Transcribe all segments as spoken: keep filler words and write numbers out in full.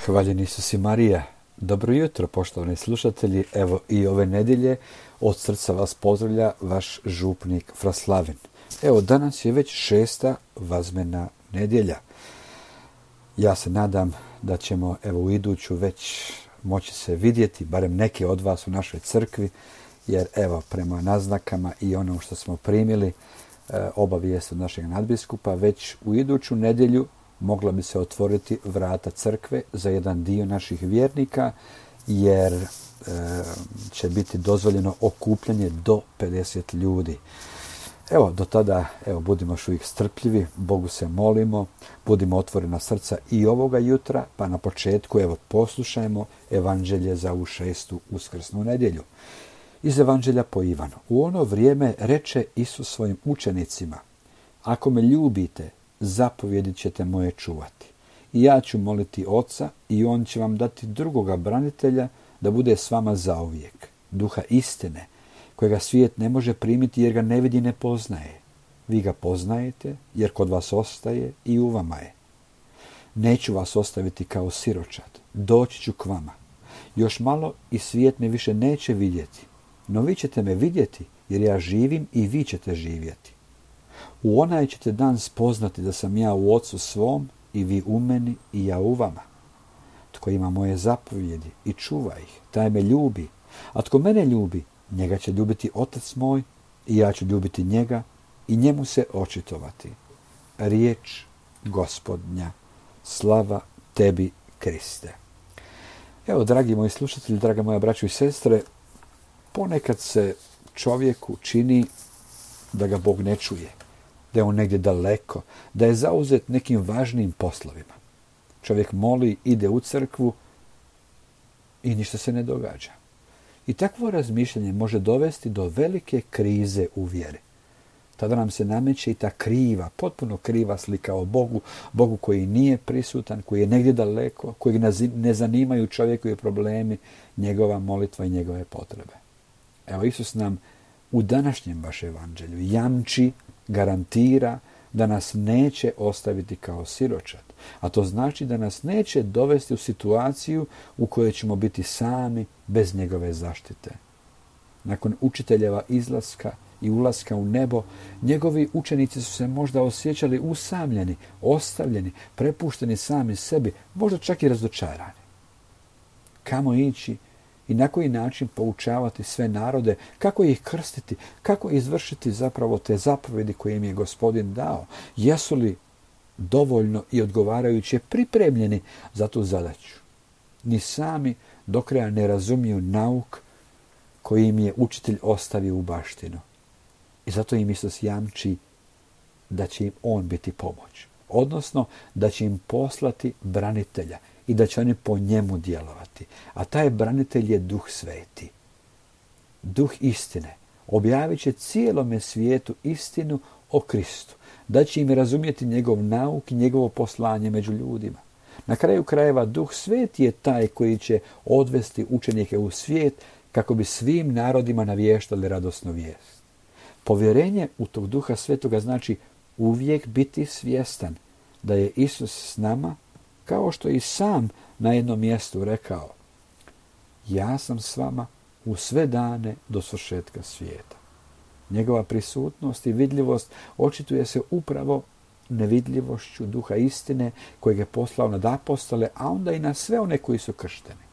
Hvaljen Isus i Marija. Dobro jutro, poštovani slušatelji. Evo i ove nedjelje od srca vas pozdravlja vaš župnik Fra Slavin. Evo, danas je već šesta vazmena nedjelja. Ja se nadam da ćemo evo u iduću već moći se vidjeti, barem neke od vas u našoj crkvi, jer evo prema naznakama i ono što smo primili, obavijest od našeg nadbiskupa, već u iduću nedjelju mogla bi se otvoriti vrata crkve za jedan dio naših vjernika, jer e, će biti dozvoljeno okupljanje do pedeset ljudi. Evo, do tada, evo, budimo još uvijek strpljivi, Bogu se molimo, budimo otvorena srca i ovoga jutra, pa na početku, evo, poslušajmo evanđelje za ovu šestu uskrsnu nedjelju. Iz evanđelja po Ivanu. U ono vrijeme reče Isus svojim učenicima: ako me ljubite, zapovjedi ćete moje čuvati. I ja ću moliti Oca i on će vam dati drugoga branitelja da bude s vama zauvijek, duha istine, kojega svijet ne može primiti jer ga ne vidi i ne poznaje. Vi ga poznajete jer kod vas ostaje i u vama je. Neću vas ostaviti kao siročad, doći ću k vama. Još malo i svijet me više neće vidjeti, no vi ćete me vidjeti jer ja živim i vi ćete živjeti. U onaj ćete dan spoznati da sam ja u Ocu svom i vi u meni i ja u vama. Tko ima moje zapovjedi i čuva ih, taj me ljubi, a tko mene ljubi, njega će ljubiti Otac moj i ja ću ljubiti njega i njemu se očitovati. Riječ Gospodnja, slava tebi, Kriste. Evo, dragi moji slušatelji, draga moja braćo i sestre, ponekad se čovjeku čini da ga Bog ne čuje, da je on negdje daleko, da je zauzet nekim važnim poslovima. Čovjek moli, ide u crkvu i ništa se ne događa. I takvo razmišljanje može dovesti do velike krize u vjeri. Tada nam se nameće i ta kriva, potpuno kriva slika o Bogu, Bogu koji nije prisutan, koji je negdje daleko, koji ne zanimaju čovjekovi problemi, njegova molitva i njegove potrebe. Evo, Isus nam u današnjem baš evanđelju jamči, garantira da nas neće ostaviti kao siročad. A to znači da nas neće dovesti u situaciju u kojoj ćemo biti sami bez njegove zaštite. Nakon učiteljeva izlaska i ulaska u nebo, njegovi učenici su se možda osjećali usamljeni, ostavljeni, prepušteni sami sebi, možda čak i razočarani. Kamo ići i na koji način poučavati sve narode, kako ih krstiti, kako izvršiti zapravo te zapovjedi koje im je Gospodin dao? Jesu li dovoljno i odgovarajuće pripremljeni za tu zadaću? Ni sami do kraja ne razumiju nauk koji im je učitelj ostavio u baštinu. I zato im Isus jamči da će im on biti pomoć. Odnosno, da će im poslati branitelja i da će oni po njemu djelovati. A taj branitelj je Duh Sveti. Duh istine. Objavit će cijelome svijetu istinu o Kristu. Da će im razumjeti njegov nauk i njegovo poslanje među ljudima. Na kraju krajeva Duh Sveti je taj koji će odvesti učenike u svijet kako bi svim narodima navještali radosnu vijest. Povjerenje u tog Duha Svetoga znači uvijek biti svjestan da je Isus s nama, kao što i sam na jednom mjestu rekao: ja sam s vama u sve dane do svršetka svijeta. Njegova prisutnost i vidljivost očituje se upravo nevidljivošću Duha istine kojeg je poslao nad apostole, a onda i na sve one koji su kršteni.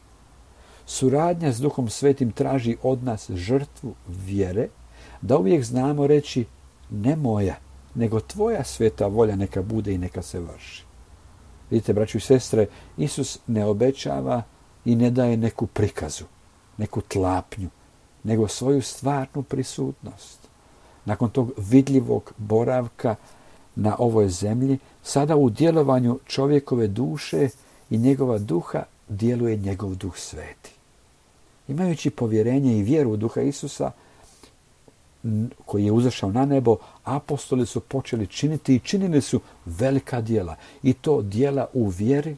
Suradnja s Duhom Svetim traži od nas žrtvu vjere, da uvijek znamo reći: ne moja, nego tvoja sveta volja neka bude i neka se vrši. Vidite, braćo i sestre, Isus ne obećava i ne daje neku prikazu, neku tlapnju, nego svoju stvarnu prisutnost. Nakon tog vidljivog boravka na ovoj zemlji, sada u djelovanju čovjekove duše i njegova duha djeluje njegov Duh Sveti. Imajući povjerenje i vjeru u Duha Isusa, koji je uzašao na nebo, apostoli su počeli činiti i činili su velika djela. I to djela u vjeri,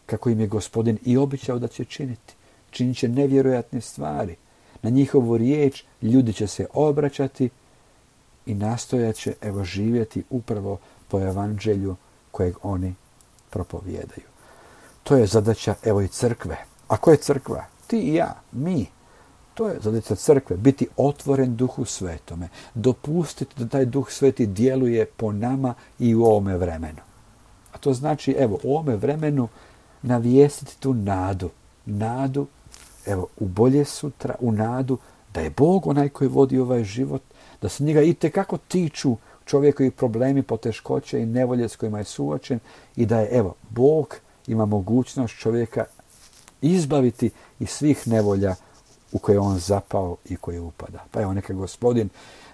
kako im je Gospodin i obećao da će činiti. Činit će nevjerojatne stvari. Na njihovu riječ ljudi će se obraćati i nastojat će evo živjeti upravo po evanđelju kojeg oni propovijedaju. To je zadaća, evo i crkve. A ko je crkva? Ti i ja, mi. To je zadaća crkve, biti otvoren Duhu Svetome. Dopustiti da taj Duh Sveti djeluje po nama i u ovome vremenu. A to znači, evo, u ovome vremenu navijestiti tu nadu. Nadu, evo, u bolje sutra, u nadu da je Bog onaj koji vodi ovaj život, da se njega itekako tiču čovjekovi problemi, poteškoće i nevolje s kojima je suočen i da je, evo, Bog ima mogućnost čovjeka izbaviti iz svih nevolja u koje on zapao i koje upada. Pa evo, neka Gospodin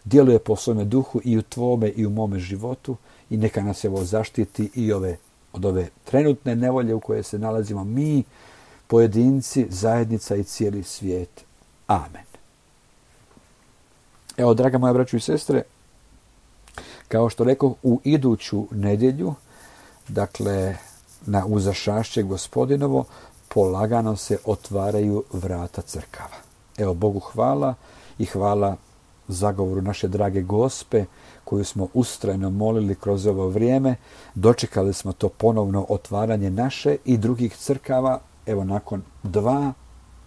djeluje po svome duhu i u tvome i u mome životu i neka nas evo zaštiti i ove, od ove trenutne nevolje u koje se nalazimo mi, pojedinci, zajednica i cijeli svijet. Amen. Evo, draga moja braćo i sestre, kao što rekao, u iduću nedjelju, dakle, na uzašašće Gospodinovo, polagano se otvaraju vrata crkava. Evo, Bogu hvala i hvala zagovoru naše drage Gospe, koju smo ustrajno molili kroz ovo vrijeme. Dočekali smo to ponovno otvaranje naše i drugih crkava, evo, nakon dva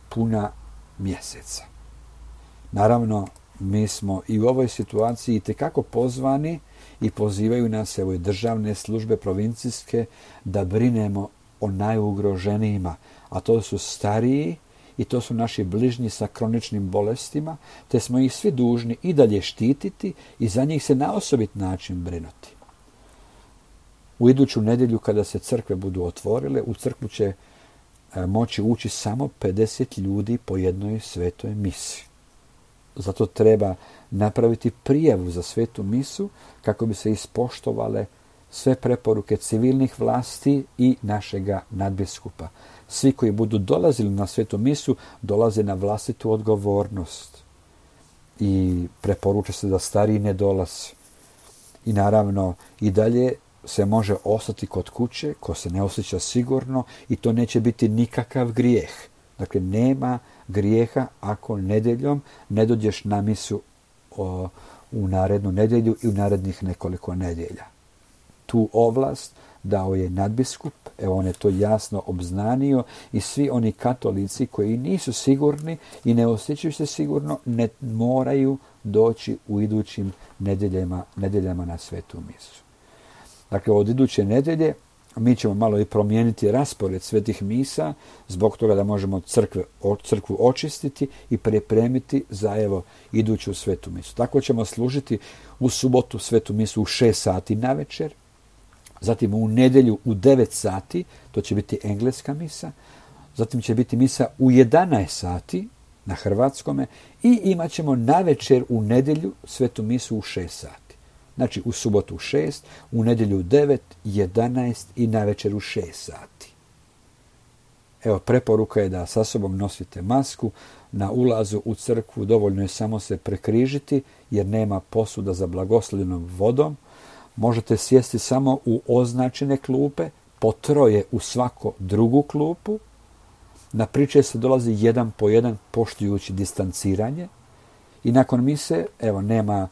puna mjeseca. Naravno, mi smo i u ovoj situaciji itekako pozvani i pozivaju nas, evo, i državne službe provincijske, da brinemo o najugroženijima, a to su stariji i to su naši bližnji sa kroničnim bolestima, te smo ih svi dužni i dalje štititi i za njih se na osobit način brinuti. U iduću nedjelju, kada se crkve budu otvorile, u crkvu će moći ući samo pedeset ljudi po jednoj svetoj misi. Zato treba napraviti prijavu za svetu misu kako bi se ispoštovale sve preporuke civilnih vlasti i našega nadbiskupa. Svi koji budu dolazili na svetu misu dolaze na vlastitu odgovornost i preporuča se da stariji ne dolaze. I naravno i dalje se može ostati kod kuće ko se ne osjeća sigurno i to neće biti nikakav grijeh. Dakle, nema grijeha ako nedjeljom ne dođeš na misu o, u narednu nedjelju i u narednih nekoliko nedjelja. Tu ovlast dao je nadbiskup, evo on je to jasno obznanio i svi oni katolici koji nisu sigurni i ne osjećaju se sigurno ne moraju doći u idućim nedjeljama, nedjeljama na svetu misu. Dakle, od iduće nedjelje mi ćemo malo i promijeniti raspored svetih misa zbog toga da možemo crkve, crkvu očistiti i pripremiti za evo iduću svetu misu. Tako ćemo služiti u subotu svetu misu u šest sati na večer, zatim u nedjelju u devet sati, to će biti engleska misa, zatim će biti misa u jedanaest sati na hrvatskome i imat ćemo na večer u nedjelju svetu misu u šest sati. Znači u subotu u šest, u nedjelju u devet, jedanaest i na večer u šest sati. Evo, preporuka je da sa sobom nosite masku. Na ulazu u crkvu dovoljno je samo se prekrižiti jer nema posuda za blagoslovljenom vodom. Možete sjesti samo u označene klupe, po troje u svako drugu klupu. Na priče se dolazi jedan po jedan poštujući distanciranje. I nakon mise, evo, nema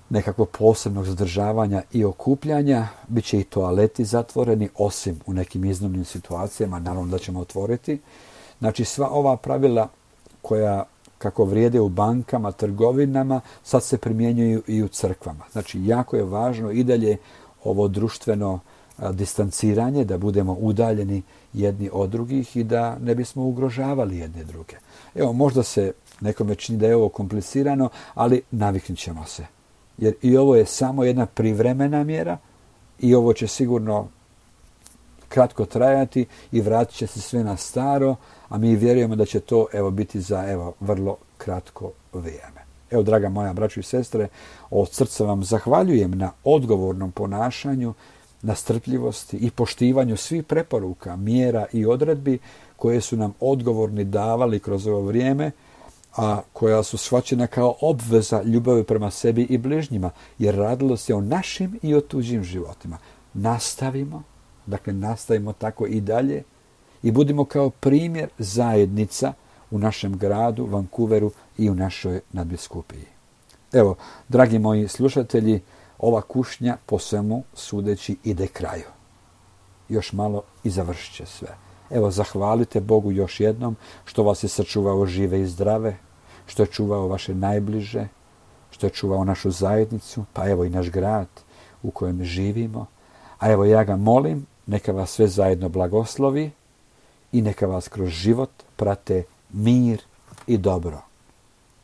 nekakvog posebnog zadržavanja i okupljanja, bit će i toaleti zatvoreni, osim u nekim iznimnim situacijama, naravno da ćemo otvoriti. Znači, sva ova pravila koja, kako vrijede u bankama, trgovinama, sad se primjenjuju i u crkvama. Znači, jako je važno i dalje ovo društveno a, distanciranje, da budemo udaljeni jedni od drugih i da ne bismo ugrožavali jedne druge. Evo, možda se nekome čini da je ovo komplicirano, ali naviknut ćemo se. Jer i ovo je samo jedna privremena mjera i ovo će sigurno kratko trajati i vratit će se sve na staro, a mi vjerujemo da će to evo biti za evo vrlo kratko vrijeme. Evo, draga moja braćo i sestre, od srca vam zahvaljujem na odgovornom ponašanju, na strpljivosti i poštivanju svih preporuka, mjera i odredbi koje su nam odgovorni davali kroz ovo vrijeme, a koja su shvaćena kao obveza ljubavi prema sebi i bližnjima, jer radilo se o našim i o tuđim životima. Nastavimo, dakle nastavimo tako i dalje i budimo kao primjer zajednica u našem gradu, Vancouveru i u našoj nadbiskupiji. Evo, dragi moji slušatelji, ova kušnja po svemu sudeći ide kraju. još malo i završit će sve. Evo, zahvalite Bogu još jednom što vas je sačuvao žive i zdrave, što je čuvao vaše najbliže, što je čuvao našu zajednicu, pa evo i naš grad u kojem živimo. A evo, ja ga molim, neka vas sve zajedno blagoslovi i neka vas kroz život prate mir i dobro.